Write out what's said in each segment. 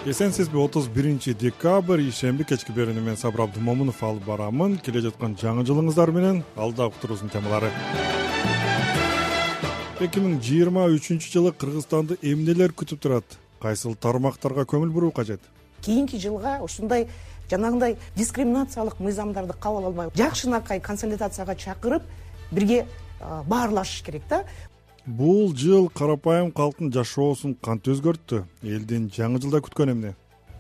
Эсенсизби 31 декабрь ишемби кечки берүүнү мен Сабыр Абдымомунов алып барамын. Келе жаткан жаңы жылыңыздар менен алда уктуруусунун темалары. 2023 Кыргызстанды эмнелер күтүп турат? Кайсыл тармактарга көңүл буруу кажет? Кийинки жылга ушундай жанагындай дискриминациялык мыйзамдарды кабыл албай, жакшынакай консолидацияга чакырып, бирге баарлашыш керек да. Бул жыл карапайым калктын жашоосун кантип өзгөрттү? Элдин жаңы жылда күткөн эмне?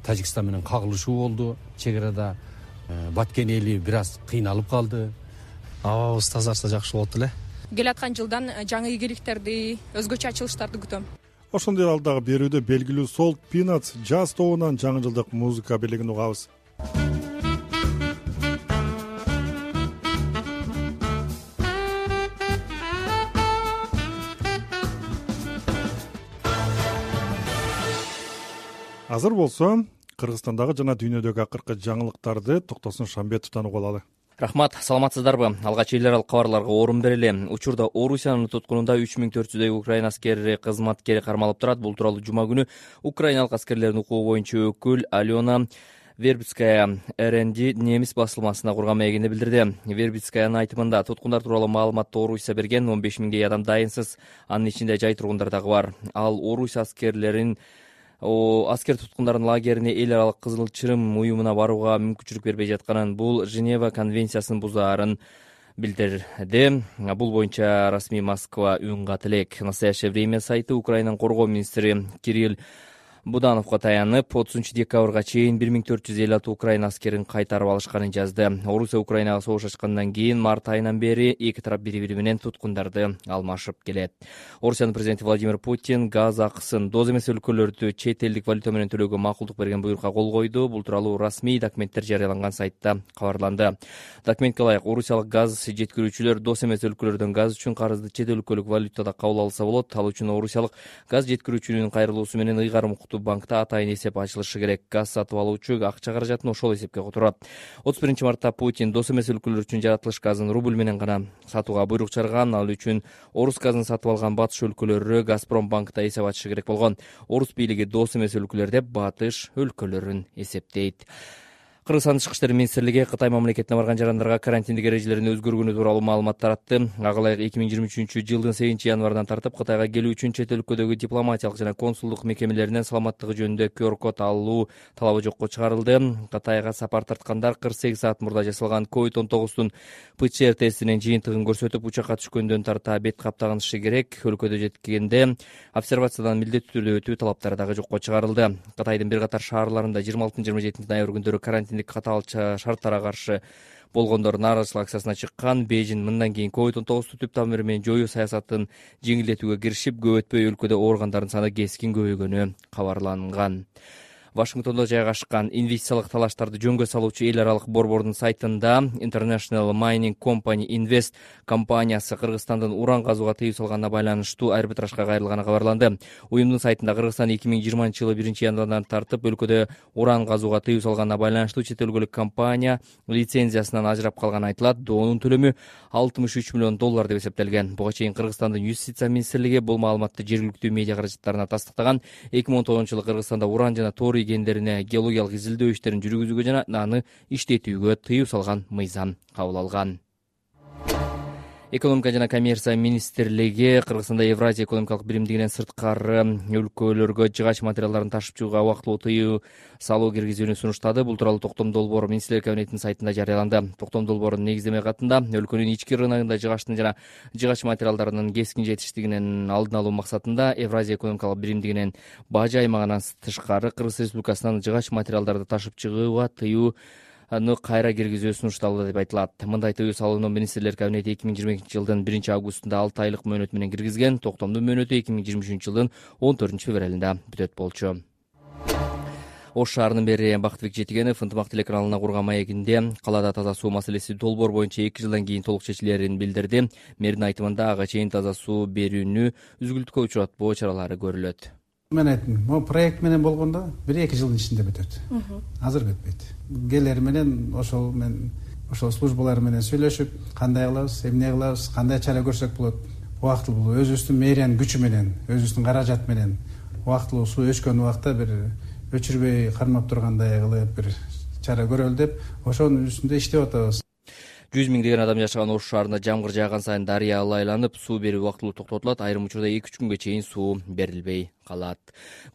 Тажикстан менен кагылышуу болду. Чек арада Баткен эли бир аз кыйналып калды. Абабыз тазарса жакшы болот эле. Келаткан жылдан жаңы ийгиликтерди, өзгөчө ачылыштарды күтөм. Ошондой алдагы берүүдө белгилүү Salt Peanuts Jazz тобунан жаңы жылдык музыка белегин угабыз. Азыр болсо, Кыргызстандагы жана дүйнөдөгү акыркы жаңылыктарды Токтосун Шамбетовдон угуп алалы. Рахмат, саламатсыздарбы? Алгач эл аралык кабарларга орун берели. Учурда Орусиянын туткунунда 3400дөй украин аскери кызматкери кармалып турат. Бул тууралуу жума күнү украиналык аскерлердин укугу боюнча өкүл Алена Вербицкая РНД немис басылмасына курган маегинде билдирди. Вербицкаянын айтымында туткундар тууралуу маалыматты Орусия берген, 15 миңдей адам дайынсыз, анын ичинде жай тургундар дагы бар. Ал Орусия аскер туткундардын лагерине эл аралык Кызыл Чырым уюмуна барууга мүмкүнчүлүк бербей жатканын, бул Женева конвенциясын бузаарын билдирди. Бул боюнча расмий Москва үн кат элек. Настоящее время сайты Украинанын коргоо министри Кирилл Будановго таянып, 30 декабрга чейин 1456 украин аскерин кайтарып алышканын жазды. Орусия Украинага согуш ачкандан кийин март айынан бери эки тарап бири-бири менен туткундарды алмашып келет. Орусиянын президенти Владимир Путин газ акысын доз эмес өлкөлөрдө чет элдик валюта менен төлөөгө макулдук берген буйрукка кол койду. Бул тууралуу расмий документтер жарыяланган сайтта кабарланды. Документке ылайык, орусиялык газ жеткирүүчүлөр доз эмес өлкөлөрдөн газ үчүн карызды чет өлкөлүк валютада кабыл алса болот. Ал үчүн орусиялык газ жеткирүүчүнүн кайрылуусу менен ыйгарым банкта атайын эсеп ачылышы керек. Газ сатып алуучу акча каражатын ошол эсепке которот. 31 мартта Путин доз эмес өлкөлөр үчүн жаратылыш газын рубль менен гана сатууга буйрук чыгарган. Ал үчүн орус газын сатып алган батыш өлкөлөрү Газпром банкта эсеп ачышы керек болгон. Орус бийлиги доз эмес өлкөлөр деп батыш өлкөлөрүн эсептейт. Кыргызстан Тышкы иштер министрлиги Кытай мамлекетине барган жарандарга карантиндик эрежелерин өзгөргөнү тууралуу маалымат таратты. Ага ылайык 2023 жылдын 8-январынан тартып Кытайга келүү үчүн чет өлкөдөгү дипломатиялык жана консулдук мекемелеринен саламаттыгы жөнүндө QR-код алуу талабы жокко чыгарылды. Кытайга сапар тарткандар 48 саат мурда жасалган COVID-19 ПЦР тестинин жыйынтыгын көрсөтүп, учакка түшкөндөн тарта бет каптагынышы керек. Өлкөдө жеткенде обсервациядан милдеттүү түрдө өтүү талаптары дагы жокко чыгарылды. Кытайдын бир катар шаарларында 26-27 ноябрь күндөрү карантиндик катаал шарттарга каршы болгондор нааразычылык акциясына чыккан. Бейжин мындан кийин COVID-19 түп тамыры менен жоюу саясатын жеңилдетүүгө киришип, көп өтпөй өлкөдө ооругандардын саны кескин көбөйгөнү кабарланган. Вашингтондо жайгашкан инвестициялык талаштарды жөнгө салуучу эл аралык борбордун сайтында International Mining Company Invest компаниясы Кыргызстандын уран казууга тыюу салганына байланыштуу арбитражга кайрылганы кабарланды. Уюмдун сайтында Кыргызстан 2020 жылы 1-январдан тартып өлкөдө уран казууга тыюу салганына байланыштуу чет өлкөлүк компания лицензиясынан ажырап калганы айтылат. Доонун төлөмү $63 миллион деп эсептелген. Буга чейин Кыргызстандын юстиция министрлиги бул маалыматты жергиликтүү медиа каражаттарына тастыктаган. 2019 жылы Кыргызстанда уран жана тоор гендерине геологиялык изилдөө иштерин жүргүзүүгө жана аны иштетүүгө тыюу салган мыйзам кабыл алган. Экономика жана коммерция министрлиги Кыргызстанда Евразия экономикалык биримдигинен сырткары өлкөлөргө жыгач материалдарын ташып чыгууга убактылуу тыюу салуу киргизүүнү сунуштады. Бул тууралуу токтом долбоор министрлер кабинетинин сайтында жарыяланды. Токтом долбоорунун негиздеме катында өлкөнүн ички рыногунда жыгачтын жана жыгач материалдарынын кескин жетиштигинин алдын алуу максатында Евразия экономикалык биримдигинен бажы аймагынан тышкары Кыргыз Республикасынан жыгач материалдарды ташып чыгууга тыюу кайра киргизүү сунушталды деп айтылат. Мындай тыюу салууну министрлер кабинети 2022 жылдын 1-августунда 6 айлык мөөнөт менен киргизген. Токтомдун мөөнөтү 2023 жылдын 14-февралында бүтөт болчу. Ош шаарынын мэри Бактыбек Жетигенов ынтымак телеканалына курган маегинде калаада таза суу маселеси долбоор боюнча 2 жылдан кийин толук чечилерин билдирди. Мэрдин айтымында ага чейин таза суу берүүнү үзгүлтүккө учуратпоо чаралары көрүлөт. Мен айттым, могу проект менен болгондо 1-2 жылдын ичинде бүтөт. Азыр бүтпөйт. Келер менен ошол службалар менен сүйлөшүп, кандай кылабыз, эмне кылабыз, кандай чара көрсөк болот. Убактылуу өзүбүздүн мэриянын күчү менен, өзүбүздүн каражат менен убактылуу суу өчкөн убакта бир өчүрбөй кармап тургандай кылып бир чара көрөлү деп ошонун үстүндө иштеп атабыз. 100 миңдеген адам жашаган Ош шаарында жамгыр жааган сайын дарыя ылайланып, суу берүү убактылуу токтотулат, айрым учурда 2-3 күнгө чейин суу берилбей калат.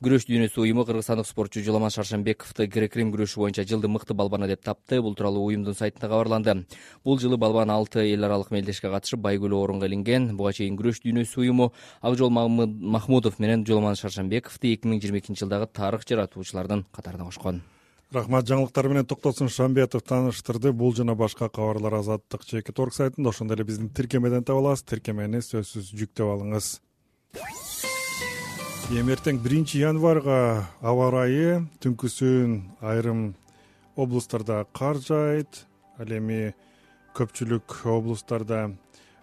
Күрөш дүйнөсү уюму кыргызстандык спортчу Жуламан Шаршембековду грек-рим күрөшү боюнча жылдын мыкты балбаны деп тапты. Бул тууралуу уюмдун сайтында кабарланды. Бул жылы балбан 6 эл аралык мелдешке катышып, байгөлүү орунга илинген. Буга чейин күрөш дүйнөсү уюму Акжол Махмудов менен Жуламан Шаршембековду 2022 жылдагы тарых жаратуучулардын катарына кошкон. Рахмат. Жаңылыктар менен Токтосун Шамбетов тааныштырды. Бул жана башка кабарлар Азаттык /Орг сайтында, ошондой эле биздин тиркемеден таба аласыз. Тиркемени сөзсүз жүктөп алыңыз. Эртең 1-январга аба ырайы түнкүсүн айрым облустарда кар жаайт. Ал эми көпчүлүк облустарда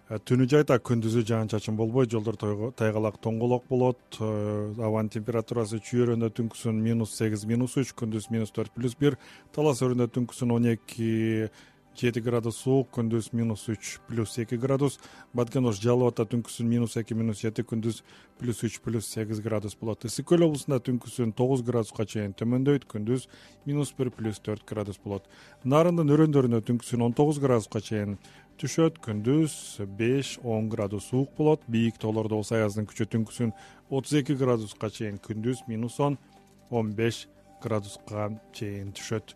түнү жайта, күндүзү жаан-чачын болбойт, жолдор тайгалак тоңголок болот. Абанын температурасы Чүйөрөндө түнкүсүн -8, -3, күндүз -4, +1. Талас өрүндө түнкүсүн 12-7 градус суук, күндүз -3, +2 градус. Баткен Ош Жалал Абадта түнкүсүн -2, -7, күндүз +3, +8 градус болот. Ысык көл облусунда түнкүсүн 9 градуска чейин төмөндөйт, күндүз -1, +4 градус болот. Нарындын өрөөндөрүндө түнкүсүн 19 градуска чейин түшөт, күндүз 5-10 градус суук болот. Бийик тоолордо болсо аяздын күчү түнкүсүн 32 градуска чейин, күндүз -10, 15 градуска чейин түшөт.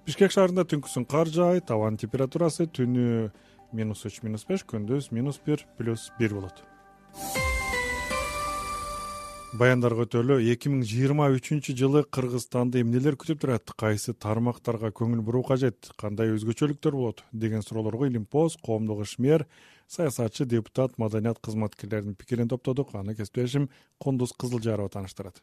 Бишкек шаарында түнкүсүн кар жаайт, абанын температурасы түнү -3, -5, күндүз -1, +1 болот. Баяндарга өтөлү. 2023 жылы Кыргызстанды эмнелер күтүп турат? Кайсы тармактарга көңүл буруу кажет? Кандай өзгөчөлүктөр болот деген суроолорго Илимпоз коомдук ишмер, саясатчы, депутат, маданият кызматкерлеринин пикирин топтодук. Аны кесиптешим Кондуз Кызылжарова тааныштырат.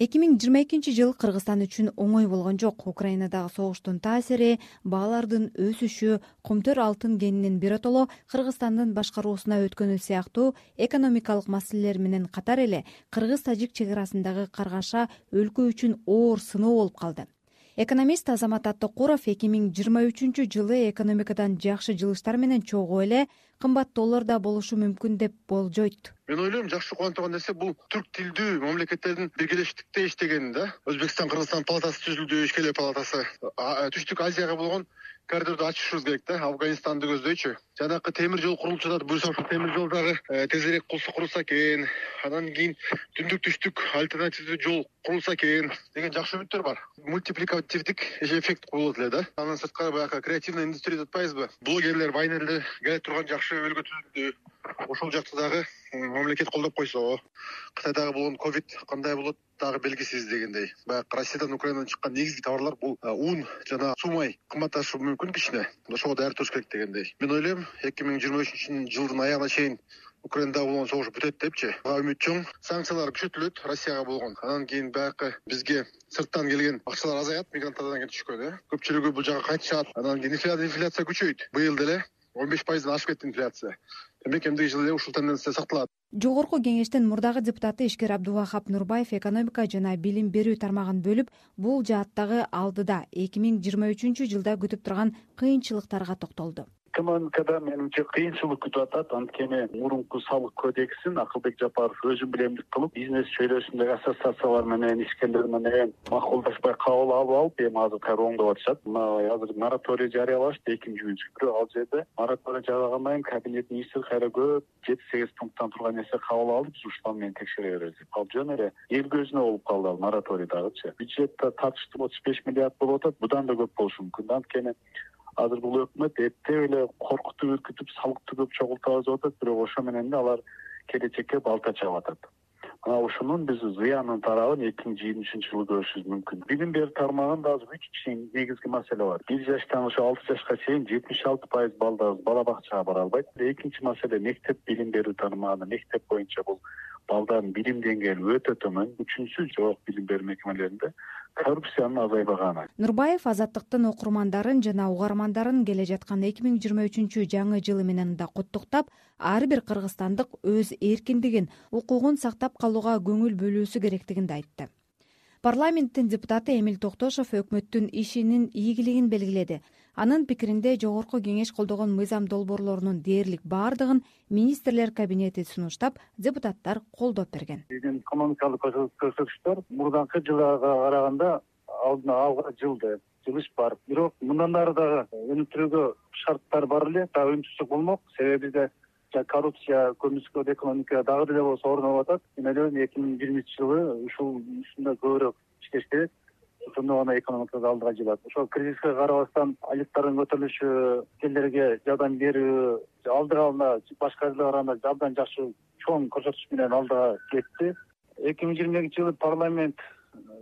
2022 жыл Кыргызстан үчүн оңой болгон жок. Украинадагы согуштун таасири, баалардын өсүшү, кумтөр алтын кенинин биротоло Кыргызстандын башкаруусуна өткөнү сыяктуу экономикалык маселелер менен катар эле кыргыз-тажик чек арасындагы каргаша өлкө үчүн оор сыноо болуп калды. Экономист Азамат Аттыкуров 2023 жылы экономикадан жакшы жылыштар менен чогуу эле кымбат доллар да болушу мүмкүн деп болжойт. Мен ойлойм, жакшы кубанычтаган нерсе бул түрк тилдүү мамлекеттердин биргелештикте иштегени да. Өзбекстан, Кыргызстан палатасы түзүлдү, Ишкеле палатасы. Түштүк Азияга болгон коридорду ачышыбыз керек да, Афганистанды көздөйчү. Жанакы темир жол курулуп жатат, буюрса ошол темир жол дагы тезирээк курулса экен. Анан кийин түндүк түштүк альтернативдүү жол курулса экен деген жакшы үмүттөр бар. Мультипликативдик эффект болот эле да. Анан сырткары баягы креативный индустрия деп атпайбызбы? Блогерлер, вайнерлер келе турган жакшы өлкө түзүлдү. Ошол жакты дагы мамлекет колдоп койсо, Кытайдагы болгон ковид кандай болот дагы белгисиз дегендей. Баягы Россиядан, Украинадан чыккан негизги товарлар бул ун жана сумай кымбатташы мүмкүн кичине. Ошого даяр туруш керек дегендей. Мен ойлойм, 2023 жылдын аягына чейин Украинада болгон согуш бүтөт депчи. Үмүт чоң. Санкциялар күчөтүлөт Россияга болгон. Анан кийин баягы бизге сырттан келген акчалар азаят, мигранттардан келип түшкөн. Көпчүлүгү бул жака кайтышат. Анан кийин инфляция күчөйт. Быйыл деле 15%-дан ашып кетти инфляция. Демек эмдиги жылы ушул тенденция сакталат. Жогорку кеңештин мурдагы депутаты Ишкер Абдувахап Нурбаев экономика жана билим берүү тармагын бөлүп, бул жааттагы алдыда 2023 жылда күтүп турган кыйынчылыктарга токтолду. Экономикада менимче кыйынчылык күтүп атат. Анткени мурунку салык кодексин Акылбек Жапаров өзү билемдик кылып, бизнес чөйрөсүндөгү ассоциациялар менен, ишкерлер менен макулдашпай кабыл алып, эми азыр кайра оңдоп атышат. Мына азыр мораторий жарыялашты 2-июнча. Бирок ал жерде мораторий жарыялагандан кийин кабинет министри кайра көп 7-8 пункттан турган нерсе кабыл алып, биз ушул менен текшере беребиз деп. Ал жөн эле эл көзүнө болуп калды ал мораторий дагычы. Бюджетте тартыштуу 35 миллиард болуп атат. Будан да көп болушу мүмкүн. Анткени азыр бул өкмөт эптеп эле коркутуп, үркүтүп, салыкты көп чогултабыз деп атат, бирок ошо менен да алар келечекке балта чабып атат. Мына ушунун биз зыянын тарабын 2023 жылы көрүшүбүз мүмкүн. Билим берүү тармагында азыр 3 негизги маселе бар. 1 жаштан ошо 6 жашка чейин 76% балдарыбыз бала бакчага бара албайт. Экинчи маселе мектеп билим берүү тармагында, мектеп боюнча бул балдардын билим деңгээли өтө төмөн. Үчүнчү, жогорку билим берүү мекемелеринде коррупциянын азайбаганы. Нурбаев азаттыктын окурмандарын жана угармандарын келе жаткан 2023 жаңы жылы менен да куттуктап, ар бир кыргызстандык өз эркиндигин, укугун сактап калууга көңүл бөлүүсү керектигин да айтты. Парламенттин депутаты Эмил Токтошов өкмөттүн ишинин ийгилигин белгиледи. Анын пикиринде жогорку кеңеш колдогон мыйзам долбоорлорунун дээрлик баардыгын министрлер кабинети сунуштап, депутаттар колдоп берген. Биздин экономикалык көрсөтүчтөр мурдаңкы жылга караганда алга жылыш бар. Бирок мындан ары дагы өнүктүрүүгө шарттар бар эле, дагы өнүктүрсөк болмок. Себеби бизде коррупция, көмүскө экономика дагы деле болсо орноп атат. Мен ойлойм 2020 жылы ушунда көбүрөөк иштеш керек. Ошондо гана экономика алдыга жылат. Ошол кризиске карабастан айлыктардын көтөрүлүшү, элдерге жардам берүү, алдыга алганда башка элге караганда абдан жакшы чоң көрсөтүш менен алдыга кетти. 2022 жылы парламент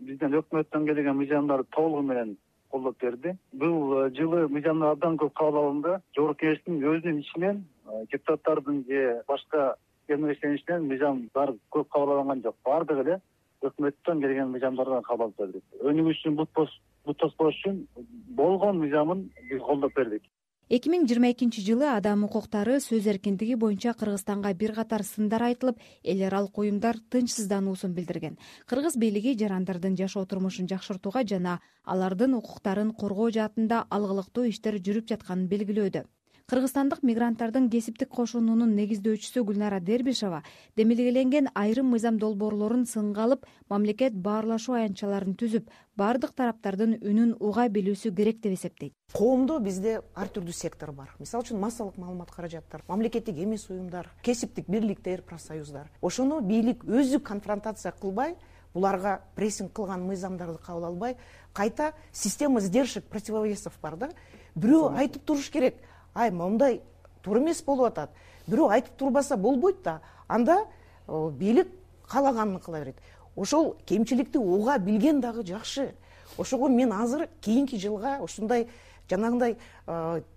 бизден өкмөттөн келген мыйзамдарды толугу менен колдоп берди. Бул жылы мыйзамдар абдан көп кабыл алынды. Жогорку кеңештин өзүнүн ичинен депутаттардын же башка кеңештеринен мыйзамдар көп кабыл алынган жок. Бардыгы эле өкмөттөн келген мыйзамдардан кабыл алып бердик. Өнүгүүчүн бут тоспош үчүн болгон мыйзамын биз колдоп бердик. 2022 жылы адам укуктары, сөз эркиндиги боюнча Кыргызстанга бир катар сындар айтылып, эл аралык уюмдар тынчсыздануусун билдирген. Кыргыз бийлиги жарандардын жашоо турмушун жакшыртууга жана алардын укуктарын коргоо жаатында алгылыктуу иштер жүрүп жатканын белгилөөдө. Кыргызстандык мигранттардын кесиптик кошунунун негиздөөчүсү Гүлнара Дербишова демилгеленген айрым мыйзам долбоорлорун сынга алып, мамлекет баарлашуу аянтчаларын түзүп, бардык тараптардын үнүн уга билүүсү керек деп эсептейт. Коомдо бизде ар түрдүү сектор бар. Мисалы үчүн массалык маалымат каражаттар, мамлекеттик эмес уюмдар, кесиптик бирликтер, профсоюздар. Ошону бийлик өзү конфронтация кылбай, буларга прессинг кылган мыйзамдарды кабыл албай, кайта система сдержек противовесов бар да. Бирөө айтып туруш керек. Момундай туура эмес болуп атат. Бирөө айтып турбаса болбойт да. Анда бийлик каалаганын кыла берет. Ошол кемчиликти уга билген дагы жакшы. Ошого мен азыр кийинки жылга ушундай жанагындай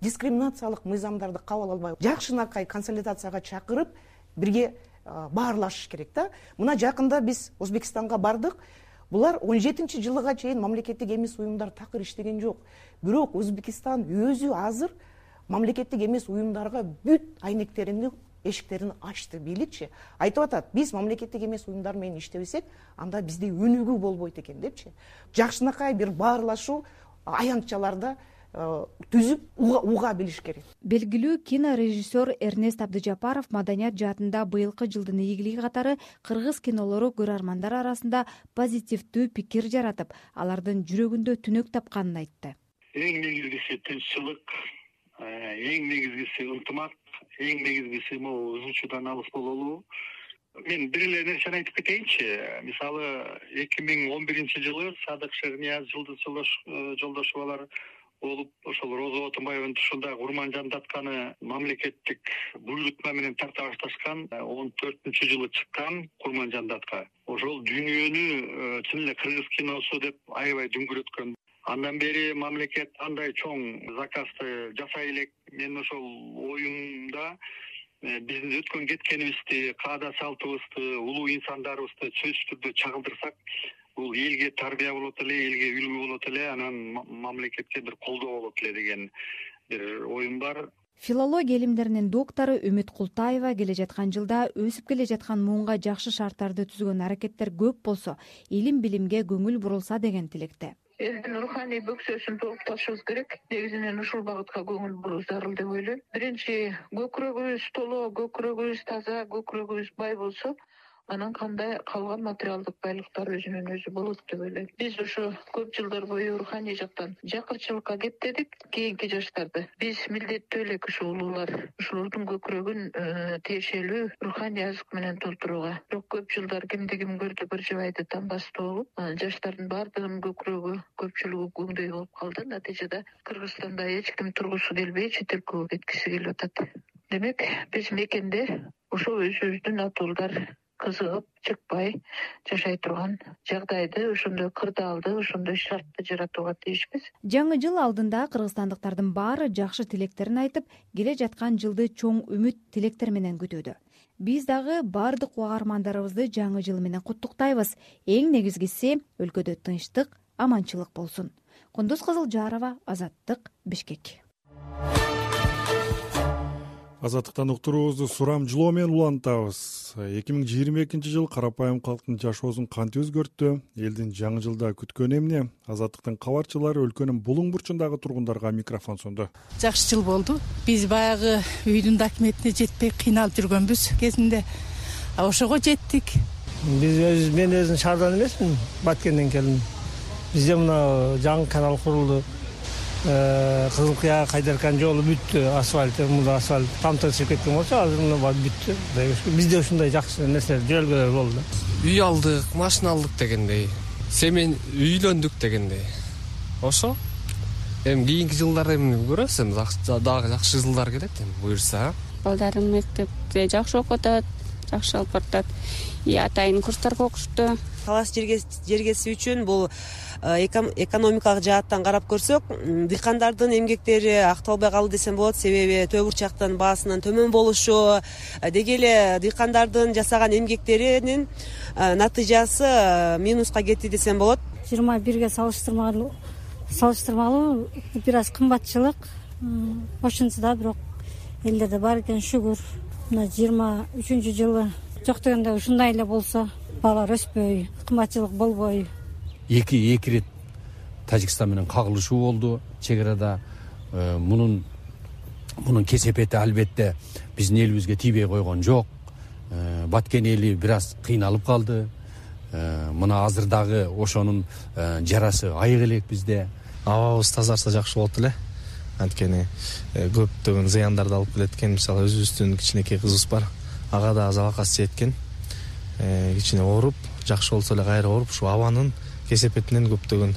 дискриминациялык мыйзамдарды кабыл албай, жакшынакай консолидацияга чакырып, бирге баарлашыш керек да. Мына жакында биз Өзбекстанга бардык. Булар 17 жылга чейин мамлекеттик эмес уюмдар такыр иштеген жок. Бирок Өзбекстан өзү азыр мамлекеттик эмес уюмдарга бүт айнектерин, эшиктерин ачты. Бийликчи айтып атат, биз мамлекеттик эмес уюмдар менен иштебесек, анда бизде өнүгүү болбойт экен депчи. Жакшынакай бир баарлашуу аянтчаларда түзүп уга билиш керек. Белгилүү кинорежиссер Эрнест Абдыжапаров маданият жаатында быйылкы жылдын ийгилиги катары кыргыз кинолору көрөрмандар арасында позитивдүү пикир жаратып, алардын жүрөгүндө түнөк тапканын айтты. Эң негизгиси тынччылык, эң негизгиси ынтымак, эң негизгиси могу ызычуудан алыс бололуу. Мен бир эле нерсени айтып кетейинчи. Мисалы 2011 жылы Садык Шернияз, Жылдыз Жолдошовалар болуп, ошол Роза Отунбаеванын тушунда урман жандатканы мамлекеттик буйрутма менен тарта башташкан 14-жылы чыккан урман жандатка. Ошол дүйнөнү чын эле кыргыз киносу деп аябай дүңгүрөткөн. Андан бери мамлекет андай чоң заказды жасай элек. Мен ошол оюмда биздин өткөн кеткенибизди, каада салтыбызды, улуу инсандарыбызды сөзсүз түрдө чагылдырсак, бул элге тарбия болот эле, элге үлгү болот эле, анан мамлекетке бир колдоо болот эле деген бир оюм бар. Филология илимдеринин доктору Үмүт Култаева келе жаткан жылда өсүп келе жаткан муунга жакшы шарттарды түзгөн аракеттер көп болсо, илим билимге көңүл бурулса деген тилекте. Элдин руханий бөксөсүн толукташыбыз керек. Негизинен ушул багытка көңүл буруу зарыл деп ойлойм. Биринчи, көкүрөгүбүз толо, көкүрөгүбүз таза, көкүрөгүбүз бай болсо, анан кандай калган материалдык байлыктар өзүнөн өзү болот деп ойлойм. Биз ошо көп жылдар бою руханий жактан жакырчылыкка кептедик. Кийинки жаштарды биз милдеттүү элек ушул улуулар ушулардын көкүрөгүн тиешелүү руханий азык менен толтурууга. Бирок көп жылдар кимди ким көрдү бир жыбайды тамбастуу болуп, жаштардын баардыгынын көкүрөгү көпчүлүгү көңдөй болуп калды. Натыйжада Кыргызстанда эч ким тургусу келбей чет элге кеткиси келип атат. Демек, биз мекенде ошо өзүбүздүн атуулдар кызыгып, чыкпай жашай турган жагдайды, ошондой кырдаалды, ошондой шартты жаратууга тийишпиз. Жаңы жыл алдында кыргызстандыктардын баары жакшы тилектерин айтып, келе жаткан жылды чоң үмүт тилектер менен күтүүдө. Биз дагы бардык угармандарыбызды жаңы жыл менен куттуктайбыз. Эң негизгиси өлкөдө тынчтык, аманчылык болсун. Кундуз Кызылжарова, Азаттык, Бишкек. Азаттыктан уктуруубузду сурамжылоо менен улантабыз. 2022-жыл карапайым калктын жашоосун кантип өзгөрттү? Элдин жаңы жылда күткөнү эмне? Азаттыктын кабарчылары өлкөнүн булуң бурчундагы тургундарга микрофон сунду. Жакшы жыл болду. Биз баягы үйдүн документине жетпей кыйналып жүргөнбүз кезинде. Ошого жеттик. Мен өзүм шаардан эмесмин, Баткенден келдим. Бизде мына жаңы канал курулду. Кызыл Кыя Кайдаркан жолу бүттү, асфальт, мында асфальт тамтыршып кеткен болчу, азыр мына бүттү. Бизде ушундай жакшы нерселер, жөнөлгөлөр болду. Үй алдык, машина алдык дегендей, семен үйлөндүк дегендей. Ошо эми кийинки жылдар эми көрөсүз, эми дагы жакшы жылдар келет эми буюрса. Балдарым мектепте жакшы окутат, жакшы алып баратат. Атайын курстарга окушту. Талаш жергеси үчүн бул экономикалык жааттан карап көрсөк, дыйкандардын эмгектери акталбай калды десем болот. Себеби төө бурчактын баасынын төмөн болушу, деги эле дыйкандардын жасаган эмгектеринин натыйжасы минуска кетти десем болот. 21-ге салыштырмалуу бир аз кымбатчылык, ошончо да бирок элдерде бар экен, шүгүр. Мына 23-жылы жок дегенде ушундай эле болсо, балар өспөй, кымбатчылык болбой. Эки ирет Тажикстан менен кагылышуу болду чек арада. Мунун кесепети албетте биздин элибизге тийбей койгон жок. Баткен эли бир аз кыйналып калды. Мына азыр дагы ошонун жарасы айык элек бизде. Абабыз тазарса жакшы болот эле. Анткени көптөгөн зыяндарды алып келет экен. Мисалы өзүбүздүн кичинекей кызыбыз бар. Ага да залакасы жеткен. Кичине ооруп, жакшы болсо эле кайра ооруп, ушу абанын кесепетинен көптөгөн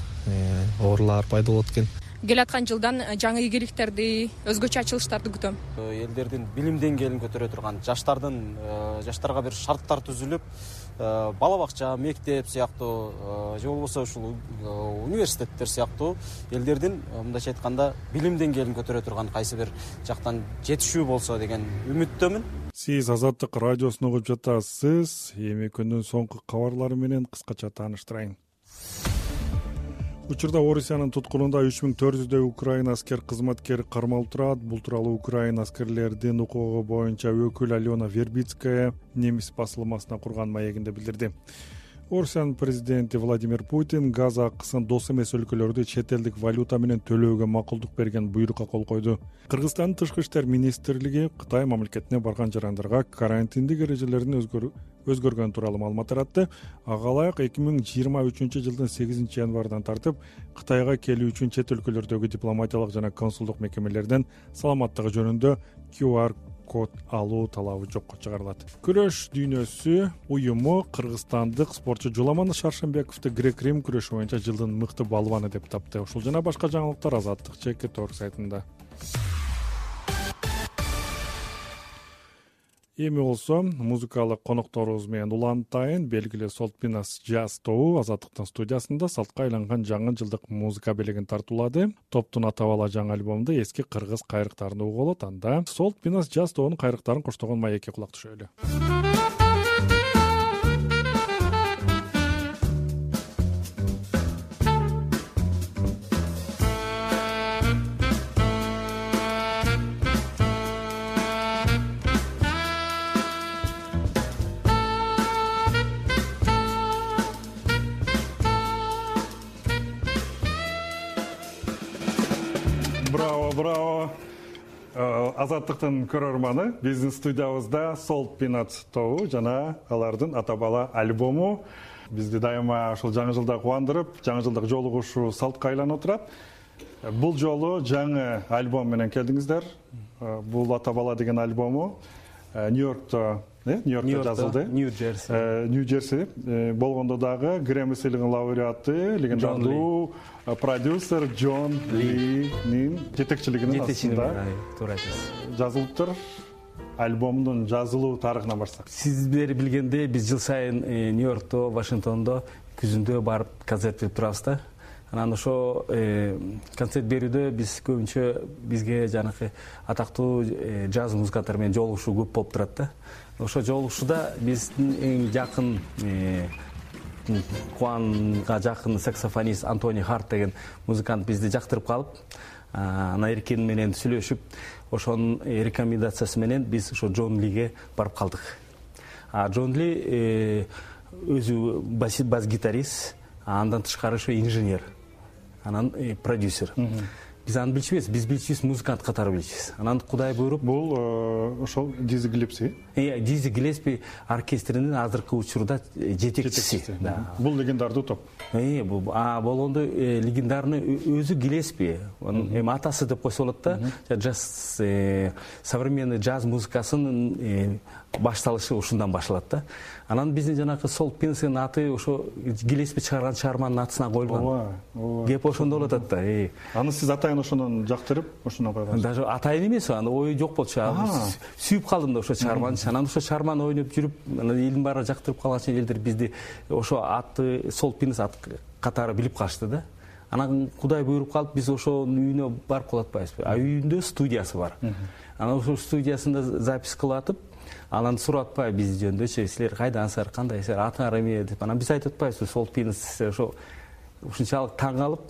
оорулар пайда болот экен. Келаткан жылдан жаңы ийгиликтерди, өзгөчө ачылыштарды күтөм. Элдердин билим деңгээлин көтөрө турган, жаштарга бир шарттар түзүлүп, бала бакча, мектеп сыяктуу же болбосо ушул университеттер сыяктуу элдердин мындайча айтканда билим деңгээлин көтөрө турган кайсы бир жактан жетишүү болсо деген үмүттөмүн. Сиз Азаттык радиосун угуп жатасыз. Эми күндүн соңку кабарлары менен кыскача тааныштырайын. Учурда Орусиянын туткунунда 3400дөй Украина аскер кызматкери кармалып турат. Бул тууралуу Украина аскерлердин укугу боюнча өкүл Алена Вербицкая немис басылмасына курган маегинде билдирди. Орусиянын президенти Владимир Путин газ акысын дос эмес өлкөлөрдө чет элдик валюта менен төлөөгө макулдук берген буйрукка кол койду. Кыргызстандын тышкы иштер министрлиги Кытай мамлекетине барган жарандарга карантиндик эрежелердин өзгөргөнү тууралуу маалымат таратты. Ага ылайык 2023-жылдын 8-январдан тартып Кытайга келүү үчүн чет өлкөлөрдөгү дипломатиялык жана консулдук мекемелерден саламаттыгы жөнүндө QR код алуу талабы жокко чыгарылат. Күрөш дүйнөсү уюму кыргызстандык спортчу Жуламан Шаршембековду грек-рим күрөшү боюнча жылдын мыкты балбаны деп тапты. Ушул жана башка жаңылыктар Азаттык ЧК сайтында. Эми болсо музыкалык конокторубуз менен улантайын. Белгилүү Солтпинас Jazz тобу Азаттыктын студиясында салтка айланган жаңы жылдык музыка белегин тартуулады. Топтун ата-бала жаңы альбомунда эски кыргыз кайрыктарын угуп болот. Анда Солтпинас Jazz тобунун кайрыктарын коштогон маекке кулак түшөлү. Браво. Азаттыктын көрөрманы биздин студиябызда Солтпинас тобу жана алардын ата-бала альбому бизди дайыма ушул жаңы жылда кубандырып, жаңы жылдык жолугушуу салтка айланып турат. Бул жолу жаңы альбом менен келдиңиздер. Бул ата-бала деген альбому Нью-Йоркто жазылды. Нью-Джерси болгондо дагы Грэмми сыйлыгынын лауреаты, легендардуу продюсер Джон Линин жетекчилигинин астында жазылыптыр. Альбомдун жазылуу тарыхына барсак. Сиздер билгендей, биз жыл сайын Нью-Йоркто, Вашингтондо күзүндө барып концерт берип турабыз да. Анан ошо концерт берүүдө биз көбүнчө бизге жанакы атактуу джаз музыканттар менен жолугушуу көп болуп турат да. Ошо жолугушууда биздин эң жакын Куанга жакын саксофонист Антони Харт деген музыкант бизди жактырып калып, анан эркин менен сүйлөшүп ошонун рекомендациясы менен биз ошо Джон Лиге барып калдык. Джон Ли өзү бас гитарист, андан тышкары ошо инженер, анан продюсер. Биз аны билчүбүз, биз билчүбүз музыкант катары билчүбүз. Анан Кудай буйруп, бул ошол Дизи Гиллеспи. Дизи Гиллеспи оркестринин азыркы учурда жетекчиси. Бул легендардуу топ. Болгондо легендарный өзү Гиллеспи. Эми атасы деп койсо болот да. Джаз, современный джаз музыкасынын башталышы ушундан башталат да. Анан биздин жанакы Сол Пинстин аты ошо Гиллеспи чыгарган чыгарманын атысына коюлган. Кеп ошондо болуп атат да. Аны сиз атайын ошондон жактырып, ошондон койгонсуз. Даже атайын эмес, аны ою жок болчу. Сүйүп калдым да ошо чыгарманы. Анан ошо чыгарманы ойноп жүрүп, анан элдин баары жактырып калган чейин элдер бизди ошо аты Сол Пинс ат катары билип калышты да. Анан Кудай буйруп калып, биз ошонун үйүнө барып калып атпайбызбы? Үйүндө студиясы бар. Анан ошо студиясында запись кылып атып, анан сурап атпайбы биз жөнүндө, силер кайдансыздар, кандайсыздар, атыңар эмне деп. Анан биз айтып атпайбызбы, Сол Пинс ошо ушунчалык таң калып,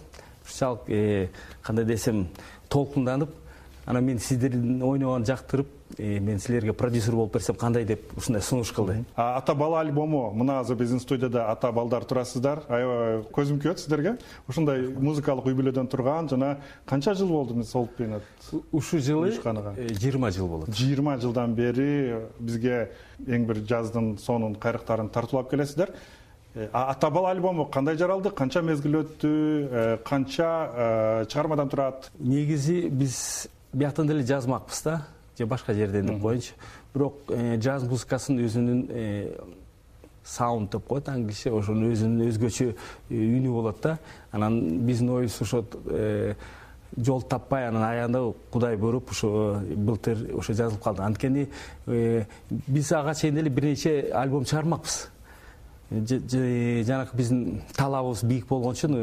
ушунчалык кандай десем, толкунданып, анан мен сиздердин ойногонду жактырып, мен силерге продюсер болуп берсем кандай деп ушундай сунуш кылды. Ата бала альбому, мына азыр биздин студияда ата балдар турасыздар. Аябай көзүм күйөт сиздерге. Ушундай музыкалык үй бүлөдөн турган, жана канча жыл болду Сол Пинс? Ушу жылы 20 жыл болот. 20 жылдан бери бизге эң бир жаздын сонун кайрыктарын тартуулап келесиздер. Ата бала альбому кандай жаралды? Канча мезгил өттү? Канча чыгармадан турат? Негизи биз бияктан деле жазмакпыз да, же башка жерден деп коеюнчу. Бирок джаз музыкасынын өзүнүн саунд деп коет англисче, ошонун өзүнүн өзгөчө үнү болот да. Анан биздин оюбуз ошо жол таппай, анан аягында Кудай буйруп ошо былтыр ошо жазылып калды. Анткени биз ага чейин деле бир нече альбом чыгармакпыз. Жанакы биздин талабыбыз бийик болгон үчүн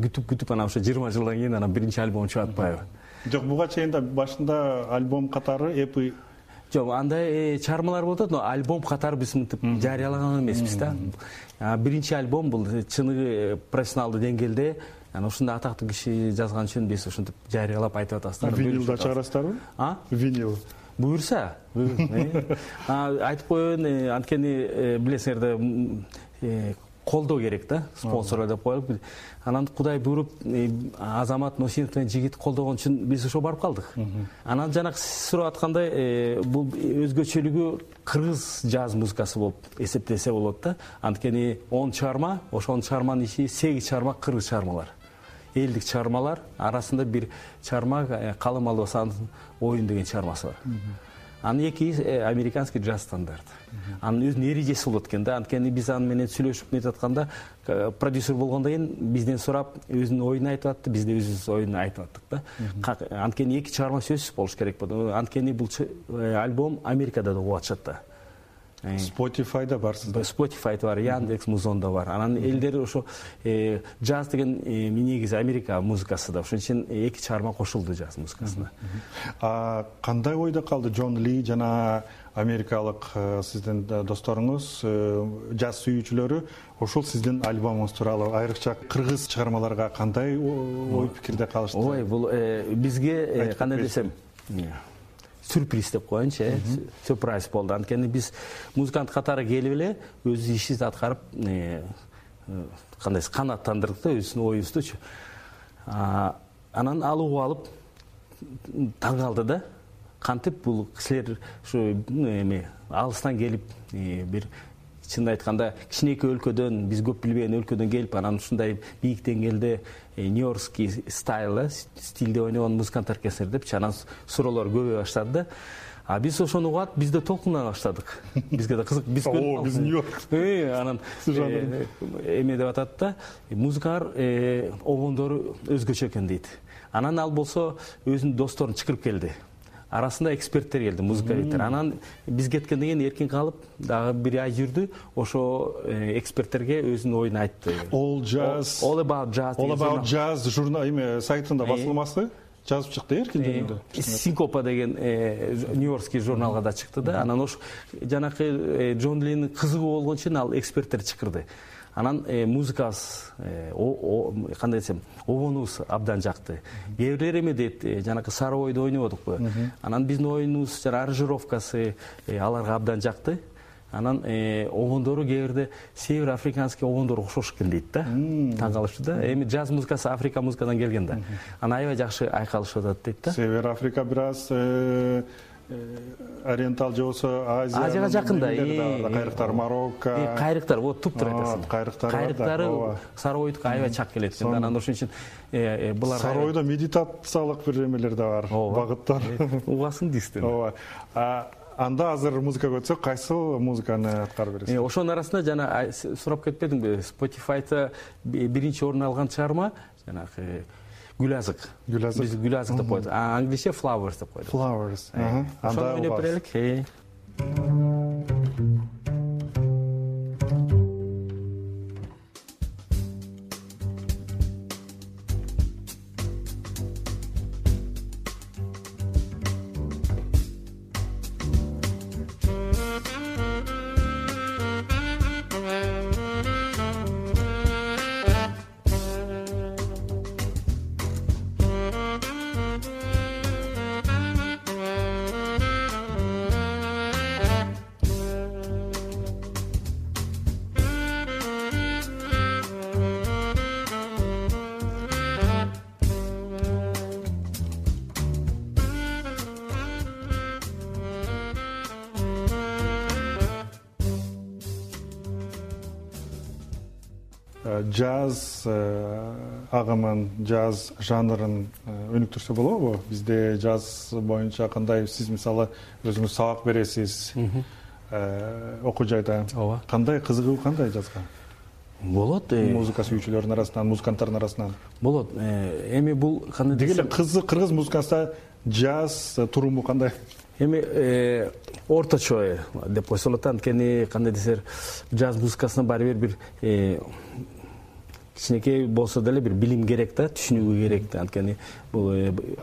күтүп анан ошо 20 жылдан кийин анан биринчи альбом чыгып атпайбы? Жок, буга чейин да башында альбом катары эпи жок, андай чыгармалар болуп атат, но альбом катары биз мынтип жарыялаган эмеспиз да. Биринчи альбом бул чыныгы профессионалдуу деңгээлде, анан ушундай атактуу киши жазган үчүн биз ушинтип жарыялап айтып атасыздар. Винилда чыгарасыздарбы? Винил буюрса. Айтып коеюн, анткени билесиңер да, колдоо керек да, спонсор деп коелуп. Анан Кудай буйруп Азамат Носинович менен жигит колдогон үчүн биз ошо барып калдык. Анан жанакы сурап аткандай, бул өзгөчөлүгү кыргыз джаз музыкасы болуп эсептесе болот да. Анткени 10 чыгарма, ошонун чыгарманын ичи 8 чыгарма кыргыз чыгармалар. Элдик чыгармалар арасында бир чыгарма Калым Албасановдун Оюн деген чыгармасы бар. Анын экиси американский джаз стандарт. Анын өзүнүн эрежеси болот экен да. Анткени биз аны менен сүйлөшүп нетип атканда, продюсер болгондон кийин бизден сурап, өзүнүн оюн айтып атты, биз да өзүбүздүн оюн айтып аттык да. Анткени эки чыгарма сөзсүз болуш керек болду. Анткени бул альбом Америкада да угуп атышат да. Spotify'da барсыздар. Spotify'да бар, Яндекс Музонда бар. Анан элдер ошо джаз деген негизи Америка музыкасы да. Ошон үчүн эки чыгарма кошулду джаз музыкасына. Кандай ойдо калды Джон Ли жана америкалык сиздин досторуңуз, джаз сүйүүчүлөрү ошол сиздин альбомуңуз тууралуу, айрыкча кыргыз чыгармаларга кандай ой пикирде калышты? Ой, бул бизге кандай десем, сюрприз деп коеюнчу, сюрприз болду. Анткени биз музыкант катары келип эле өз ишибизди аткарып, кандай канааттандырдык да өзүнүн оюбуздучу. Анан ал угуп алып таң калды да. Кантип бул кишилер ушу алыстан келип, бир чынын айтканда кичинекей өлкөдөн, биз көп билбеген өлкөдөн келип, анан ушундай бийик деңгээлде нью-йоркский стилде ойногон музыкант оркестр депчи, анан суроолор көбөйө баштады да. Биз ошону угуп, биз да толкуна баштадык. Бизге да кызык. Биз Нью-Йорк. Анан эме деп атат да, музыкалар огондору өзгөчө экен дейт. Анан ал болсо өзүнүн досторун чакырып келди. Арасында эксперттер келди, музыкалыктар. Анан биз кеткенден кийин эркин калып, дагы бир ай жүрдү, ошо эксперттерге өзүнүн оюн айтты. All About Jazz журнал сайтында басылмасы. жазып чыкты эркин жөнүндө. Синкопа деген Нью-Йоркский журналга да чыкты да. Анан ош жанакы Джон Леннин кызыгуу болгон үчүн ал эксперттер чакырды. Анан музыкабыз кандай десем, обонубуз абдан жакты. Кээ бирлер эме дейт, жанакы Сары ойду ойнободукпу. Анан биздин оюнубуз жана аранжировкасы аларга абдан жакты. Анан обондору кээ бирде север африканский обондор окшош экен дейт да. Таң калышты да. Эми джаз музыкасы Африка музыкадан келген да. Анан аябай жакшы айкалышып атат дейт да. Север Африка бир аз ориентал же болбосо Азияга жакын да. Кайрыктар Марокко. Кайрыктар вот туптур айтасың. Кайрыктары Сары ойдука аябай чак келет экен. Анан ошон үчүн булар Сары ойдо медитациялык бир эмелер да бар, багыттар. Угасың дейсиң. Ооба. Анда азыр музыкага өтсөк, кайсы музыканы аткарып бересиз? Ошонун арасында жана сурап кетпедиңби? Spotify'да биринчи орун алган чыгарма жанагы Гүл азык. Биз гүл азык деп койдук. Англисче flowers деп койдук. Flowers. Анда ойноп берелик. Джаз агымын, джаз жанрын өнүктүрсө болобу? Бизде джаз боюнча кандай, сиз мисалы өзүңүз сабак бересиз окуу жайда. Кандай кызыгуу, кандай джазга? Болот. Музыка сүйүүчүлөрдүн арасынан, музыканттардын арасынан. Болот. Эми бул кандай десем, кыргыз музыкасында джаз туруму кандай? Эми орточо деп койсолот, анткени кандай десер, джаз музыкасына баары бир кичинекей болсо деле бир билим керек да, түшүнүүгү керек да. Анткени бул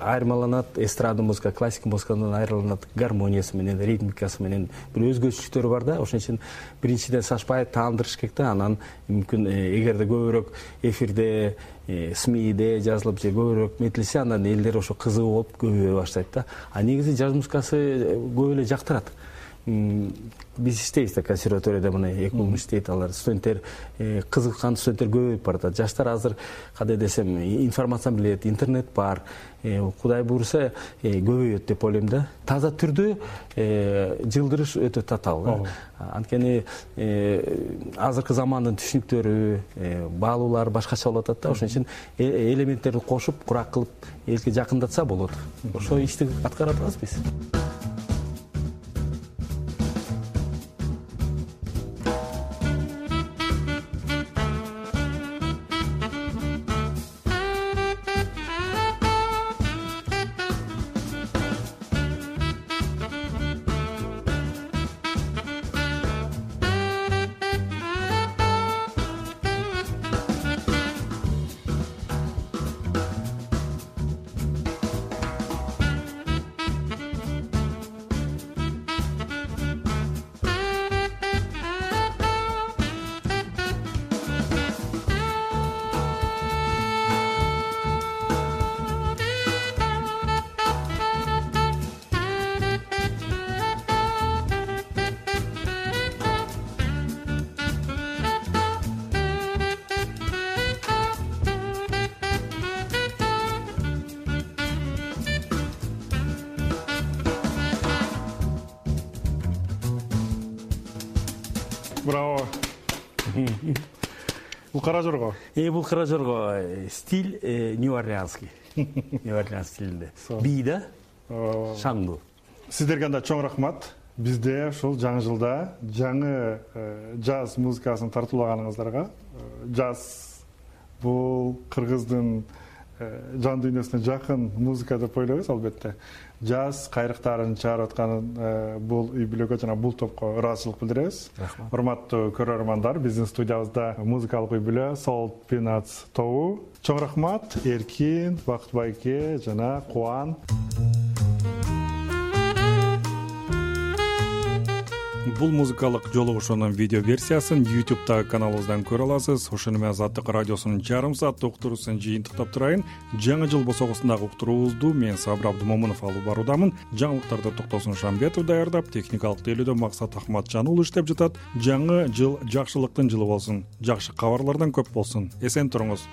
айырмаланат, эстрада музыка, классика музыкадан айырмаланат гармониясы менен, ритмикасы менен бир өзгөчөлүктөрү бар да. Ошон үчүн биринчиден сашпай таандырыш керек да. Анан мүмкүн эгерде көбүрөөк эфирде, СМИде жазылып же көбүрөөк метилсе, андан элдер ошо кызыгуу болуп көбөйө баштайт да. А негизи джаз музыкасы көп эле жактырат. Биз иштейбиз да консерваторияда, мына 2 жыл иштейт алар. Студенттер кызыккан студенттер көбөйүп баратат. Жаштар азыр кандай десем, информацияны билет, интернет бар. Кудай буйруса көбөйөт деп ойлойм да. Таза түрдө жылдырыш өтө татаал. Анткени азыркы замандын түшүнүктөрү, баалуулар башкача болуп атат да. Ошон үчүн элементтерди кошуп, курак кылып элге жакындатса болот. Ошо ишти аткарып атабыз биз. Браво. Бул кара жорго. Бул кара жорго стиль нью-орлеанский. Нью-Орлеан стилинде. Би да? Шаңдуу. Сиздерге анда чоң рахмат. Бизде ушул жаңы жылда жаңы джаз музыкасын тартуулаганыңыздарга. Джаз бул кыргыздын жан дүйнөсүнө жакын музыка деп ойлойбуз. Албетте жаз кайрыктарын чыгарып аткан бул үй бүлөгө жана бул топко ыраазычылык билдиребиз. Урматтуу көрөрмандар, биздин студиябызда музыкалык үй бүлө Salt Peanuts тобу. Чоң рахмат Эркин, Бакыт байке жана Кубан. Бул музыкалык жолугушуунун видео версиясын YouTube'дагы каналыбыздан көрө аласыз. Ошону менен Азаттык радиосунун жарым сааттык уктуруусун жыйынтыктап турайын. Жаңы жыл босогусундагы уктуруубузду мен Сабыр Абдымомунов алып баруудамын. Жаңылыктарды Токтосун Шамбетов даярдап, техникалык тейлөөдө Максат Ахматжануулу иштеп жатат. Жаңы жыл жакшылыктын жылы болсун. Жакшы кабарлардан көп болсун. Эсен туруңуз.